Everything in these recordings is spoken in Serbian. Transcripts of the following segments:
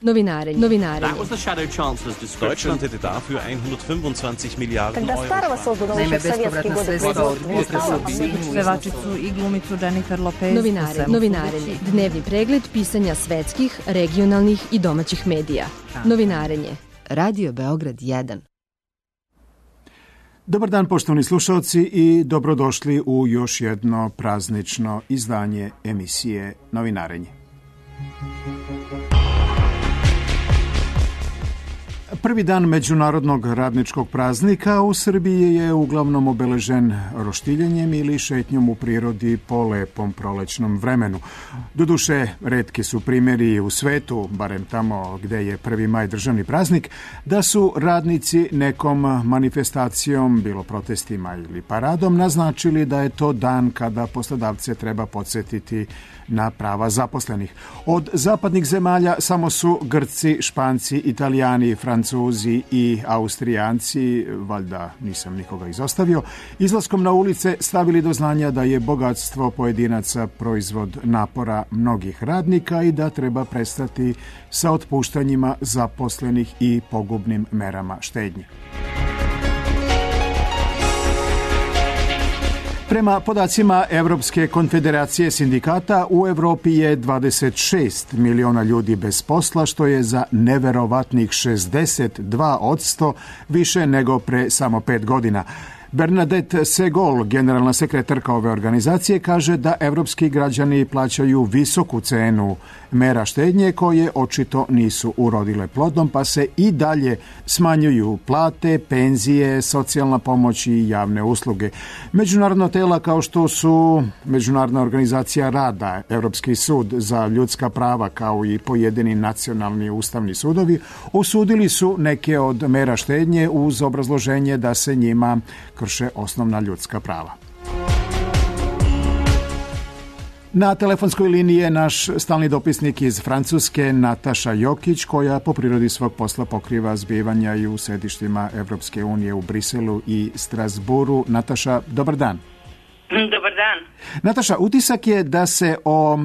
Novinarenje. Deutschland hätte dafür 125 Miliarden Euro. Naime, bespovratna sredstva od pevačicu i glumicu Jennifer Lopez. Novinarenje. Dnevni pregled pisanja svetskih, regionalnih i domaćih medija. Novinarenje. Radio Beograd 1. Dobar dan, poštovani slušalci, i dobrodošli u još jedno praznično izdanje emisije Novinarenje. Prvi dan Međunarodnog radničkog praznika u Srbiji je uglavnom obeležen roštiljenjem ili šetnjom u prirodi po lepom prolećnom vremenu. Doduše, retki su primjeri u svetu, barem tamo gde je 1. maj državni praznik, da su radnici nekom manifestacijom, bilo protestima ili paradom, naznačili da je to dan kada poslodavce treba podsjetiti na prava zaposlenih. Od zapadnih zemalja samo su Grci, Španci, Italijani, Francuzi i Austrijanci, valjda nisam nikoga izostavio, izlaskom na ulice stavili do znanja da je bogatstvo pojedinaca proizvod napora mnogih radnika i da treba prestati sa otpuštanjima zaposlenih i pogubnim merama štednje. Prema podacima Evropske konfederacije sindikata, u Evropi je 26 miliona ljudi bez posla, što je za neverovatnih 62% više nego pre samo 5 godina. Bernadette Segol, generalna sekretarka ove organizacije, kaže da evropski građani plaćaju visoku cenu mera štednje koje očito nisu urodile plodom, pa se i dalje smanjuju plate, penzije, socijalna pomoć i javne usluge. Međunarodna tela kao što su Međunarodna organizacija rada, Evropski sud za ljudska prava kao i pojedini nacionalni ustavni sudovi osudili su neke od mera štednje uz obrazloženje da se njima krše osnovna ljudska prava. Na telefonskoj liniji je naš stalni dopisnik iz Francuske, Nataša Jokić, koja po prirodi svog posla pokriva zbivanja i u sedištima Evropske unije u Briselu i Strasburu. Nataša, dobar dan. Dobar dan. Nataša, utisak je da se o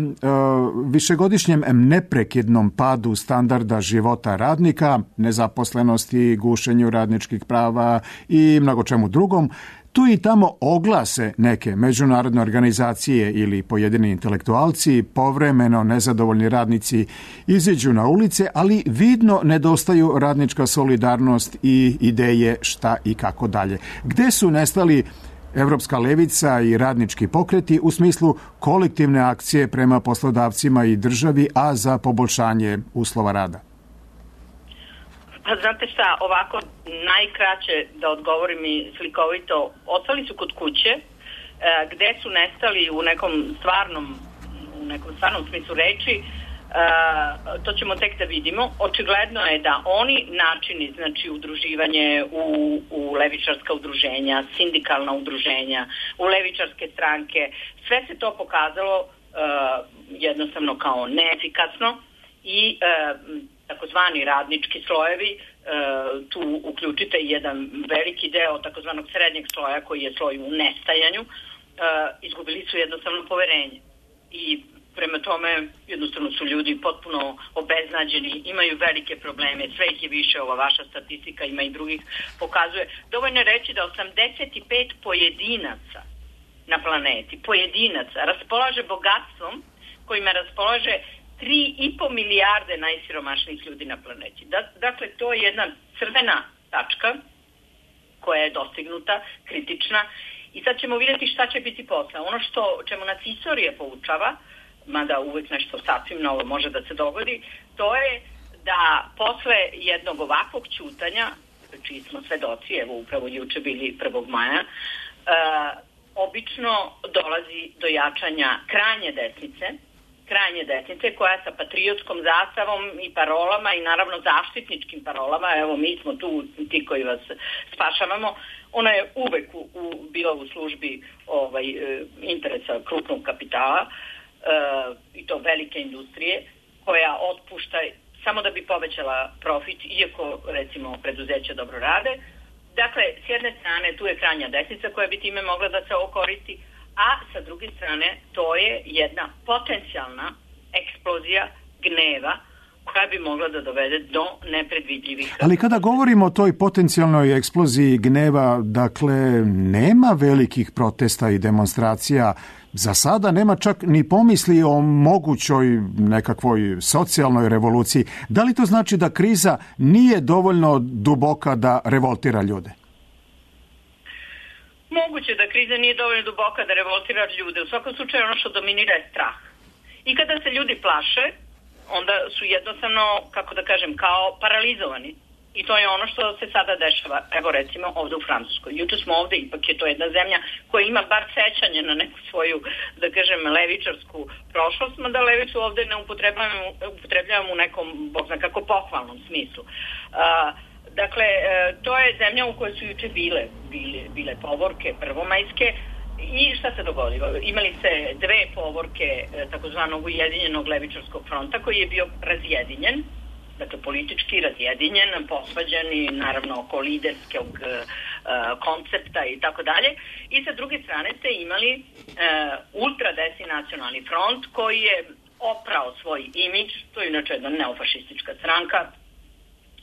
višegodišnjem neprekidnom padu standarda života radnika, nezaposlenosti, gušenju radničkih prava i mnogo čemu drugom, tu i tamo oglase neke međunarodne organizacije ili pojedini intelektualci, povremeno nezadovoljni radnici iziđu na ulice, ali vidno nedostaju radnička solidarnost i ideje šta i kako dalje. Gde su nestali Evropska levica i radnički pokreti u smislu kolektivne akcije prema poslodavcima i državi, a za poboljšanje uslova rada? Pa znate šta, ovako najkraće da odgovorim i slikovito, ostali su kod kuće, gde su nestali u nekom stvarnom smislu reči, to ćemo tek da vidimo. Očigledno je da oni načini, znači udruživanje u levičarska udruženja, sindikalna udruženja, u levičarske stranke, sve se to pokazalo jednostavno kao neefikasno i takozvani radnički slojevi, tu uključite jedan veliki deo takozvanog srednjeg sloja koji je sloj u nestajanju, izgubili su jednostavno poverenje i prema tome jednostavno su ljudi potpuno obeznađeni, imaju velike probleme, sve ih je više, ova vaša statistika ima i drugih pokazuje. Dovoljno je reći da 85 pojedinaca na planeti, raspolaže bogatstvom kojima raspolaže 3,5 milijarde najsiromašnijih ljudi na planeti. Dakle, to je jedna crvena tačka koja je dostignuta, kritična, i sad ćemo vidjeti šta će biti posle. Ono čemu nas istorija poučava, mada uvek nešto sasvim novo može da se dogodi, to je da posle jednog ovakvog ćutanja, čiji smo svedoci, evo upravo juče bili 1. maja, obično dolazi do jačanja krajnje desnice koja sa patriotskom zastavom i parolama i naravno zaštitničkim parolama, evo mi smo tu ti koji vas spašavamo, ona je uvek bila u službi interesa krupnog kapitala, i to velike industrije, koja otpušta samo da bi povećala profit, iako recimo preduzeća dobro rade. Dakle, s jedne strane tu je krajnja desnica koja bi time mogla da se okoristi, a sa druge strane to je jedna potencijalna eksplozija gneva koja bi mogla da dovede do nepredvidljivih. Ali kada govorimo o toj potencijalnoj eksploziji gneva, dakle, nema velikih protesta i demonstracija. Za sada nema čak ni pomisli o mogućoj nekakvoj socijalnoj revoluciji. Da li to znači da kriza nije dovoljno duboka da revoltira ljude? Moguće da kriza nije dovoljno duboka da revoltira ljude. U svakom slučaju ono što dominira je strah. I kada se ljudi plaše, onda su jednostavno, kako da kažem, kao paralizovani. I to je ono što se sada dešava, evo recimo ovde u Francuskoj. Juče smo ovde, ipak je to jedna zemlja koja ima bar sećanje na neku svoju, da kažem, levičarsku prošlost, mada levicu ovde ne upotrebljavamo u nekom, bog zna kako, pohvalnom smislu. Dakle, to je zemlja u kojoj su juče bile povorke prvomajske. I šta se dogodilo? Imali se dve povorke takozvanog Ujedinjenog levičarskog fronta koji je bio razjedinjen, dakle politički razjedinjen, posvađan i naravno oko liderskog koncepta i tako dalje. I sa druge strane ste imali ultradesni nacionalni front koji je oprao svoj imidž, to je inače jedna neofašistička stranka,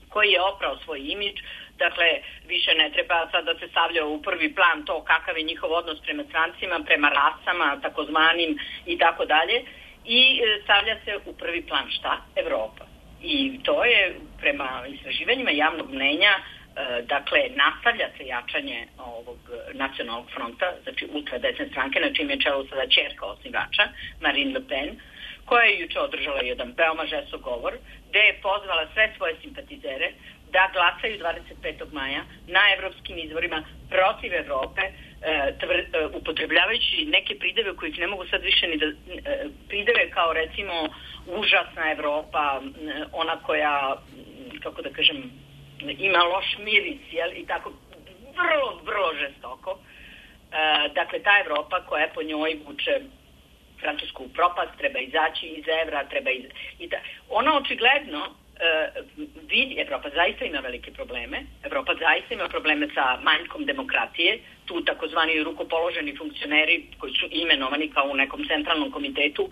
koji je oprao svoj imidž. Dakle, više ne treba sad da se stavlja u prvi plan to kakav je njihov odnos prema strancima, prema rasama, takozvanim i tako dalje. I stavlja se u prvi plan šta? Evropa. I to je prema istraživanjima javnog mnenja, dakle, nastavlja se jačanje ovog nacionalnog fronta, znači ultradesne stranke, na čim je čelu sada ćerka osnivača, Marine Le Pen, koja je juče održala jedan veoma žestok govor, gde je pozvala sve svoje simpatizere da glasaju 25. maja na evropskim izborima protiv Evrope, upotrebljavajući neke prideve kojih ne mogu sad više ni da... Prideve kao recimo užasna Evropa, ona koja, kako da kažem, ima loš miris, jel? I tako vrlo, vrlo žestoko. Dakle, ta Evropa koja po njoj vuče Francusku u propast, treba izaći iz evra, ona očigledno vidi, Evropa zaista ima velike probleme, Evropa zaista ima probleme sa manjkom demokratije, tu takozvani rukopoloženi funkcioneri koji su imenovani kao u nekom centralnom komitetu,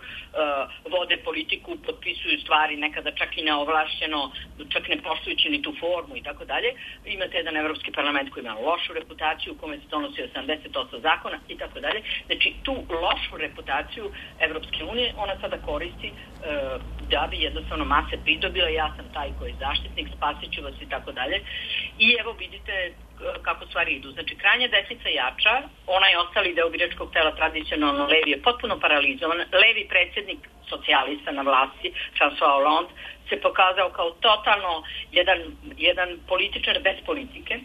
vode politiku, potpisuju stvari nekada čak i neovlašćeno, čak ne poštujući ni tu formu i tako dalje. Imate jedan Evropski parlament koji ima lošu reputaciju, u kome se donosi 80% zakona i tako dalje. Znači, tu lošu reputaciju Evropske unije ona sada koristi da bi jednostavno mase pridobila. Ja sam taj koji je zaštitnik, spasit ću vas i tako dalje. I evo vidite kako stvari idu. Znači, krajnja desnica jača, onaj ostali deo biračkog tela tradicionalno levi je potpuno paralizovan. Levi predsjednik socijalista na vlasti, François Hollande, se pokazao kao totalno jedan političar bez politike.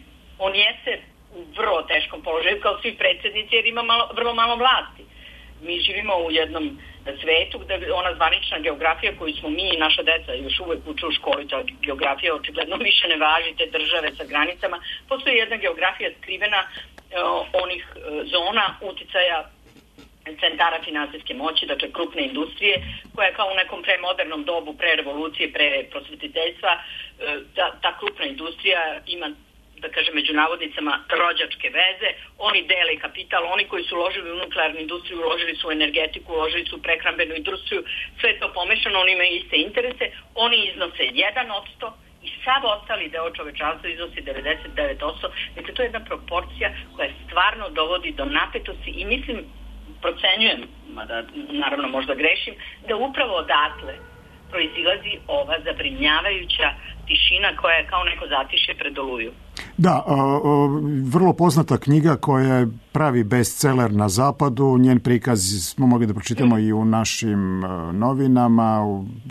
On jeste u vrlo teškom položaju kao svi predsjednici jer ima vrlo malo vlasti. Mi živimo u jednom svetu gde ona zvanična geografija koju smo mi i naša deca još uvek uče u školi, ta geografija očigledno više ne važi, te države sa granicama. Postoji jedna geografija skrivena onih zona uticaja centara finansijske moći, dakle krupne industrije, koja je kao u nekom premodernom dobu, pre revolucije, pre prosvetiteljstva, ta krupna industrija ima, da kažem, među navodnicama rođačke veze, oni dele kapital, oni koji su uložili u nuklearnu industriju, uložili su u energetiku, uložili su u prehrambenu industriju, sve to pomešano, oni imaju iste interese, oni iznose 1% i sav ostali deo čovečanstva iznosi 99%, dakle to je jedna proporcija koja stvarno dovodi do napetosti i mislim, procenjujem, mada naravno možda grešim, da upravo odatle proizilazi ova zabrinjavajuća tišina koja je kao neko zatišje pred Oluju. Da, vrlo poznata knjiga koja je pravi bestseller na zapadu. Njen prikaz smo mogli da pročitamo i u našim novinama.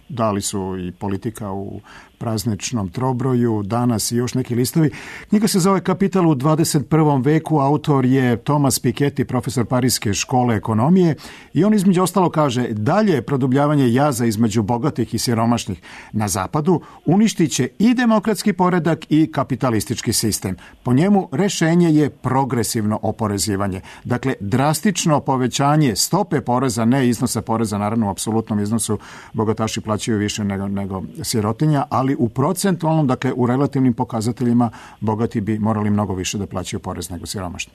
Dali su i Politika u prazničnom trobroju, Danas i još neki listovi. Knjiga se zove Kapital u 21. veku. Autor je Thomas Piketty, profesor Pariske škole ekonomije i on između ostalo kaže dalje produbljavanje jaza između bogatih i siromašnih na zapadu uništit će i demokratski poredak i kapitalistički sistem. Po njemu rešenje je progresivno oporezivanje. Dakle, drastično povećanje stope poreza, ne iznosa poreza, naravno u apsolutnom iznosu bogataši plaćaju više nego sirotinja, ali u procentualnom, dakle u relativnim pokazateljima bogati bi morali mnogo više da plaćaju porez nego siromašni.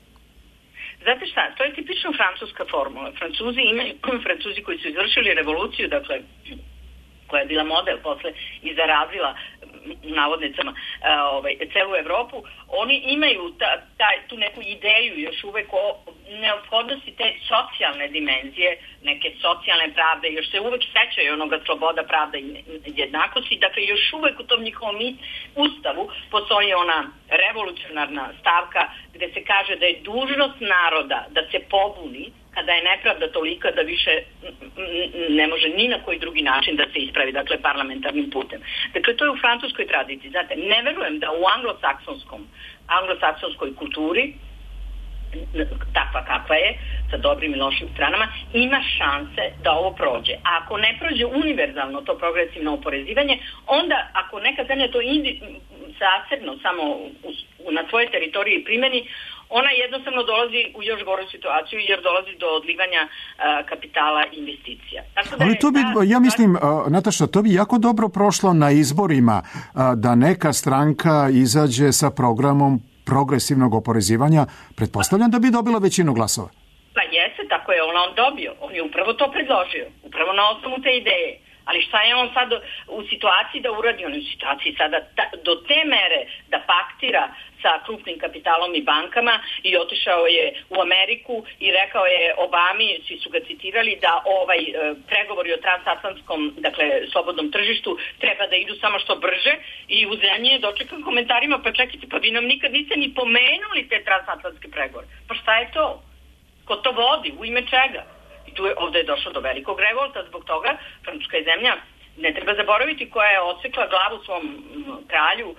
Znate šta, to je tipično francuska formula. Francuzi koji su izvršili revoluciju, dakle koja je bila model posle i zarazila navodnicama celu Evropu, oni imaju tu neku ideju još uvek o neophodnosti te socijalne dimenzije, neke socijalne pravde, još se uvek sećaju onoga sloboda, pravda i jednakosti, dakle još uvek u tom njihovom ustavu postoji ona revolucionarna stavka gde se kaže da je dužnost naroda da se pobuni kada je nepravda tolika da više ne može ni na koji drugi način da se ispravi, dakle parlamentarnim putem. Dakle, to je u francuskoj tradiciji. Znate, ne verujem da u anglosaksonskoj kulturi, takva kakva je, sa dobrim i lošim stranama, ima šanse da ovo prođe. A ako ne prođe univerzalno to progresivno oporezivanje, onda ako neka zemlja to zasebno samo na svojoj teritoriji primeni, ona jednostavno dolazi u još goru situaciju jer dolazi do odlivanja kapitala i investicija. Ali to bi, ja mislim, Nataša, to bi jako dobro prošlo na izborima da neka stranka izađe sa programom progresivnog oporezivanja. Pretpostavljam da bi dobila većinu glasova. Pa jeste, tako je on dobio. On je upravo to predložio. Upravo na osnovu te ideje. Ali šta je on sad u situaciji da uradi? On je u situaciji sada do te mere da paktira sa krupnim kapitalom i bankama i otišao je u Ameriku i rekao je Obami, svi su ga citirali, da pregovori o transatlantskom, dakle, slobodnom tržištu treba da idu samo što brže i u zemlji je dočekan komentarima, pa čekajte, pa vi nam nikad niste ni pomenuli te transatlantske pregovore. Pa šta je to? Ko to vodi? U ime čega? Ovde je došlo do velikog revolta zbog toga. Francuska je zemlja, ne treba zaboraviti, koja je odsekla glavu svom kralju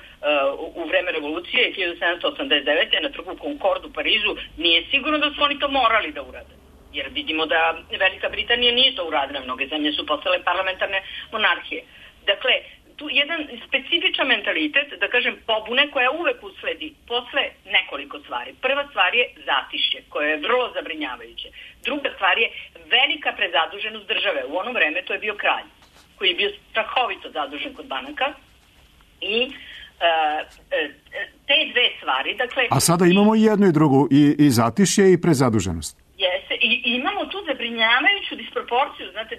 u vreme revolucije 1789. na trgu Concorde u Parizu. Nije sigurno da su oni to morali da urade. Jer vidimo da Velika Britanija nije to uradila. Mnoge zemlje su postale parlamentarne monarhije. Dakle, tu jedan specifičan mentalitet, da kažem, pobune koja uvek usledi posle nekoliko stvari. Prva stvar je zatišje, koje je vrlo zabrinjavajuće. Druga stvar je velika prezaduženost države. U ono vreme to je bio kralj, koji je bio strahovito zadužen kod banaka i te dve stvari, dakle... A sada imamo i jednu i drugu, i zatišje i prezaduženost. Jeste, i imamo tu zabrinjavajuću disproporciju, znate,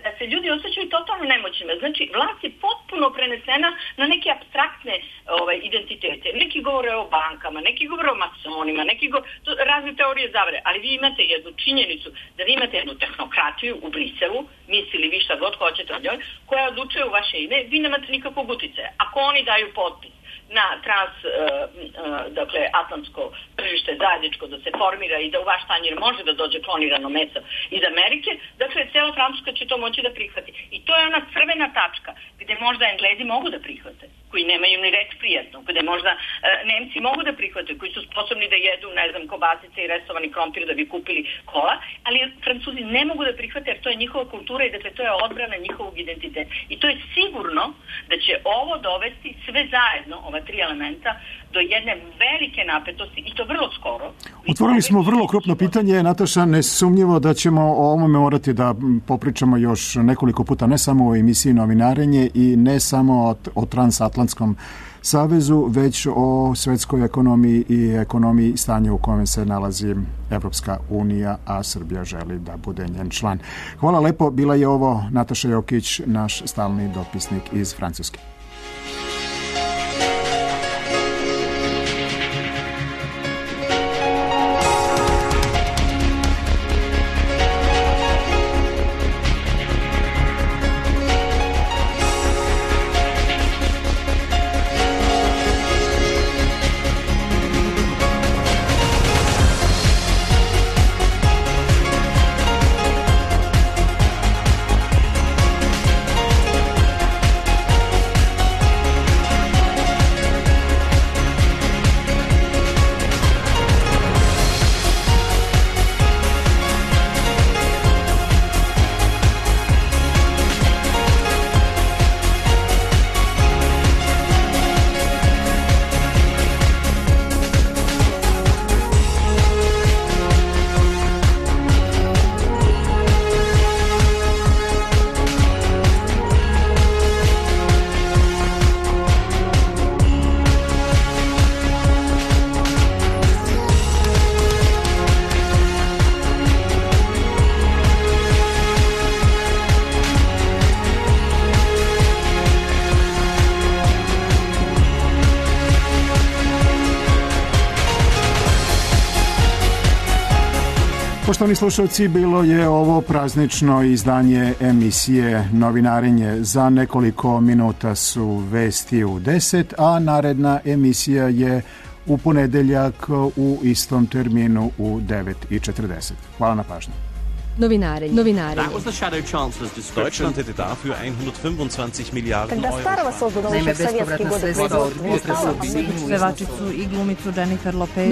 da se ljudi osjećaju totalno nemoćnima. Znači, vlast je potpuno prenesena na neke apstraktne identitete. Neki govore o bankama, neki govore o masonima, razne teorije zavere, ali vi imate jednu činjenicu, da vi imate jednu tehnokratiju u Briselu, mislili vi šta god hoćete od njoj, koja odlučuje u vaše ime, vi nemate nikakvog uticaja. Ako oni daju potpis na atlantsko tržište zajedničko da se formira i da u vaš tanjir može da dođe klonirano meso iz Amerike, dakle, cijela Francuska će to moći da prihvati. I to je ona crvena tačka gde možda Englezi mogu da prihvate, koji nemaju ni reč prijatno, gde možda Nemci mogu da prihvate, koji su sposobni da jedu, ne znam, kobasice i resovani krompir da bi kupili kola, ali Francuzi ne mogu da prihvate jer to je njihova kultura i dakle to je odbrana njihovog identiteta. I to je sigurno da će ovo dovesti sve zajedno, ova tri elementa, do jedne velike napetosti i to vrlo skoro. Otvorili smo vrlo krupno pitanje, Nataša, nesumnjivo da ćemo o ovome morati da popričamo još nekoliko puta, ne samo o emisiji Novinarenje i ne samo o Transatlantskom savezu, već o svetskoj ekonomiji i ekonomiji stanja u kojem se nalazi Evropska unija, a Srbija želi da bude njen član. Hvala lepo, bila je ovo Nataša Jokić, naš stalni dopisnik iz Francuske. Poštovani slušalci, bilo je ovo praznično izdanje emisije Novinarenje. Za nekoliko minuta su vesti u 10, a naredna emisija je u ponedeljak u istom terminu u 9:40. Hvala na pažnju. Novinarenje. Deutschland hätte dafür 125 Milliarden Euro. Naime, bespovratna sredstva od pevačicu i glumicu Jennifer Lopez.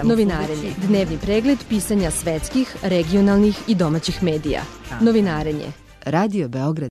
Novinarenje. Dnevni pregled pisanja svetskih, regionalnih i domaćih medija. Novinarenje. Radio Beograd.